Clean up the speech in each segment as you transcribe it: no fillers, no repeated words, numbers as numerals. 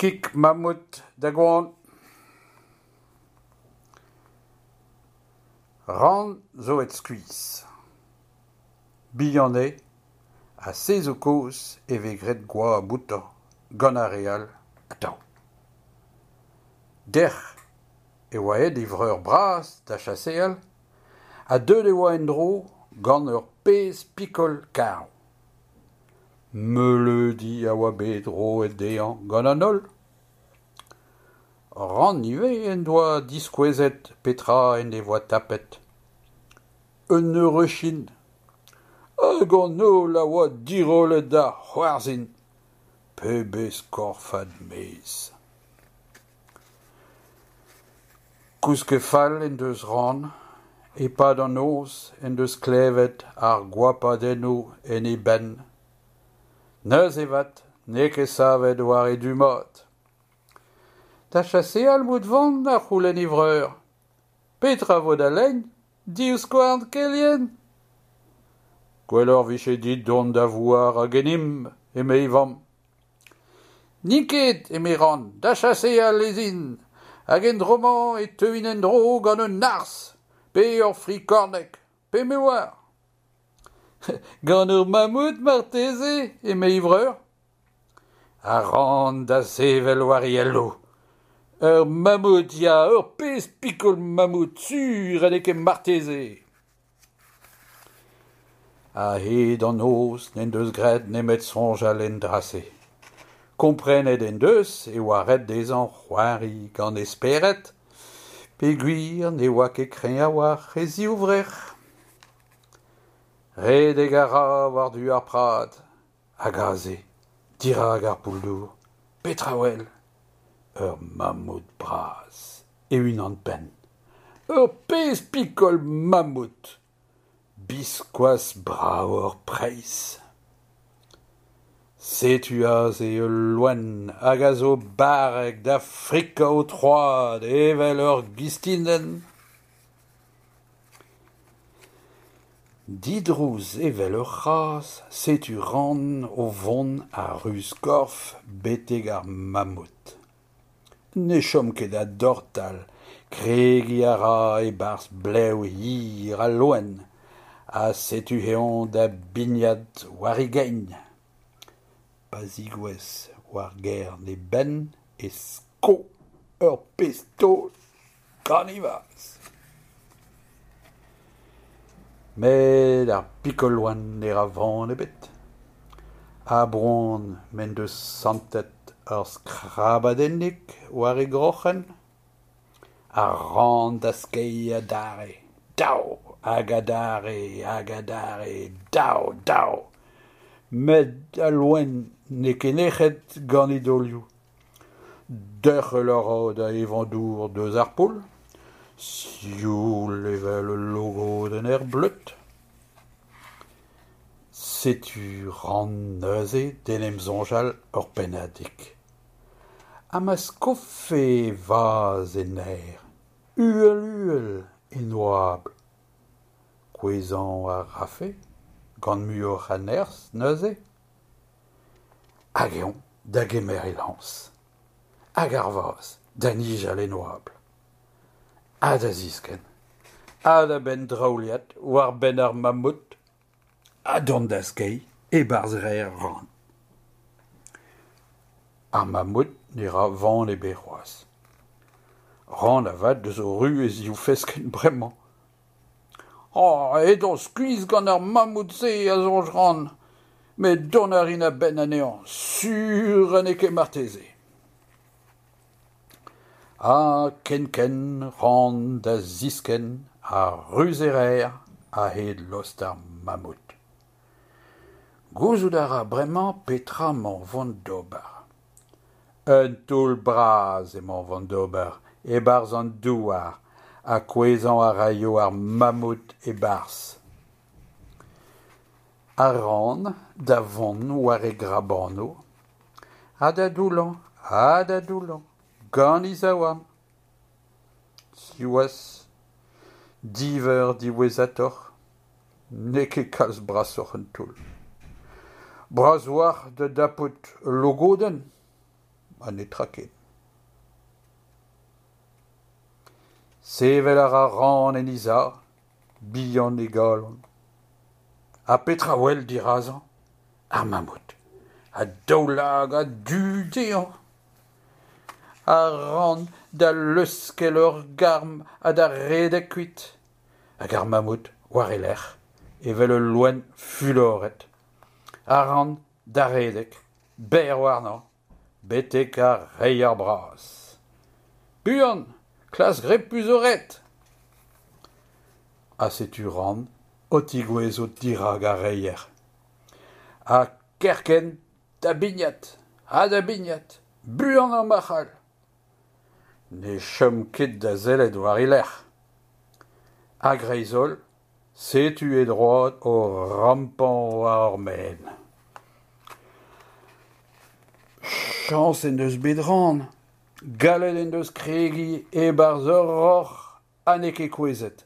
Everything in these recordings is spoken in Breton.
Kig mamout da goan. Ran zo aet skuizh. Bihan eo ha se zo kaoz e vez graet goap outañ gant ar re all atav. Dec'h e oa aet e vreur bras da chaseal ha deuet e oa en-dro gant ur pezh pikol karv. Meuleudi a oa bet roet dezhañ gant an holl. Ran ivez en doa diskouezet petra en devoa tapet : un heureuchin ! Hag an holl a oa dirollet da c'hoarzhin. Pebezh korfad mezh ! Kousket fall en deus Ran. E-pad an noz en deus klevet ar goapadennoù en e benn. Neuze avat n'eo ket savet war e du mat. Da chaseal emaout o vont ? a c'houlenn e vreur. Petra 'vo da lein ? Divskouarn kelien ? Gwelloc'h 'vije dit dont da vouarañ ganimp eme e vamm. N'in ket eme Ran, da chaseal ez in hag en dro-mañ e teuin en-dro gant un arzh pe ur frikorneg pe me 'oar. Gant ur mamout marteze eme e vreur. Ha Ran da sevel war e elloù. Ur mamout, ya, ur pezh pikol mamout, sur ha n'eo ket marteze. A-hed an noz n'en deus graet nemet soñjal en dra-se. Komprenet en deus e oa ret dezhañ c'hoari gant e spered peogwir ne oa ket kreñv a-walc'h e zivrec'h. Redek a ra war-du ar prad hag aze, dirak ar poull-dour, petra 'wel ? Ur mamout bras, e-unan-penn. Ur pezh pikol mamout ! Biskoazh bravoc'h preizh ! Setu aze ul loen hag a zo barrek da frikañ ho troad evel ur gistinenn. Didrouz evel ur c'hazh, setu Ran o vont a-ruz-korf betek ar mamout. Ne chom ket da dortal, kregiñ a ra e-barzh blev hir al loen ha setu eñ da bignat war e gein. Pa zegouezh war gern e benn e sko ur pezh taol gant e vazh. Met ar pikol loen ne ra van ebet. A-boan m'en deus santet ur skrabadennig war e groc'hen, ha Ran da skeiñ adarre, dav hag adarre hag adarre, dav, dav ! Met al loen n'eo ket nec'het gant e daolioù. Derc'hel a ra da evañ dour eus ar poull, sioul evel ul logodenn er bleud. Setu Ran neuze d'en em soñjal ur pennadig. Ha ma skofe e vazh en aer, uhel-uhel en oabl ? Kouezhañ a rafe gant muioc'h a nerzh neuze ? Hag eñ da gemer e lañs. Hag ar vazh da nijal en oabl. Ha da ziskenn. Ha da benndraoulïat war benn ar mamout. Ha dont da skeiñ e-barzh reer Ran. Ar mamout ne ra van ebet c'hoazh. Ran avat a zo ruz e ziv feskenn bremañ. Aet on skuizh gant ar mamout-se, a soñj Ran, met dont a rin a-benn anezhañ, sur ha n'eo ket marteze. Ha kenkent Ran da ziskenn a-ruz e reer a-hed lost ar mamout. Gouzout a ra bremañ petra emañ o vont d'ober. Un toull bras emañ o vont d'ober e-barzh an douar ha kouezhañ a raio ar mamout e-barzh. Ha Ran da vont war e grabanoù ha da doullañ ha da doullañ gant e zaouarn. Siwazh, div eur diwezhatoc'h, n'eo ket kalz brasoc'h an toull. Bras a-walc'h da dapout ul logodenn. ha netra ken. Sevel a ra Ran en he sav, bihan e galon. Ha petra 'wel dirazañ ? Ar mamout, ha daoulagad du dezhañ. Ha Ran da leuskel ur garm ha da redek kuit. Hag ar mamout war e lerc'h, evel ul loen fuloret. Ha Ran da redek, berr warnañ, betek ar reier bras. Buan, klask repu zo ret ! Ha setu Ran o tegouezhout dirak ar reier. Ha kerkent da bignat ha da bignat, buanañ ma c'hall. Ne chom ket da sellet war e lerc'h. A-greiz-holl, setu e droad o rampañ war ur maen. Chañs en deus bet Ran, gallet en deus kregiñ e-barzh ur roc'h ha n'eo ket kouezhet.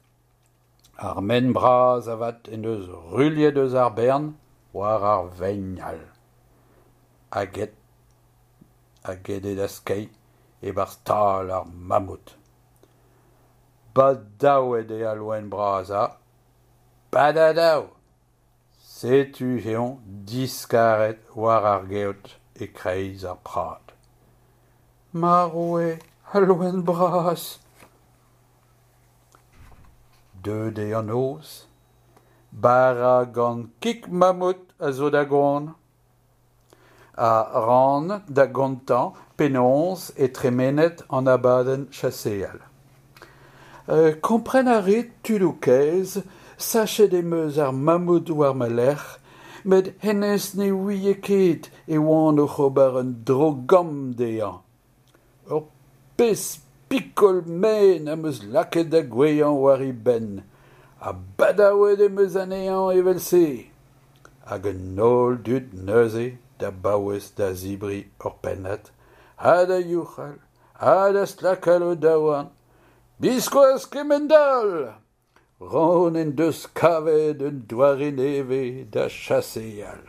Ar maen bras avat en deus ruilhet eus ar bern war ar vein all. Hag aet hag aet eo da skeiñ e-barzh tal ar mamout. Badaouet eo al loen bras ha, badadaou ! Setu eñ diskaret war ar geot e-kreiz ar prad. Marv eo al loen bras ! Deuet eo an noz, bara gant kig mamout a zo da goan. Ha Ran da gontañ penaos eo tremenet an abadenn chaseal. Kompren a rit, tudoù kaezh, sachet em eus ar mamout war ma lerc'h met hennezh ne ouie ket e oan oc'h ober un dro-gamm dezhañ. Ur pezh pikol maen am eus lakaet da gouezhañ war e benn ha badaouet em eus anezhañ evel-se. Hag an holl dud neuze da baouez da zebriñ ur pennad ha da youc'hal ha da stlakal o daouarn. Biskoazh kemend-all ! Ran en deus kavet un doare nevez da chaseal.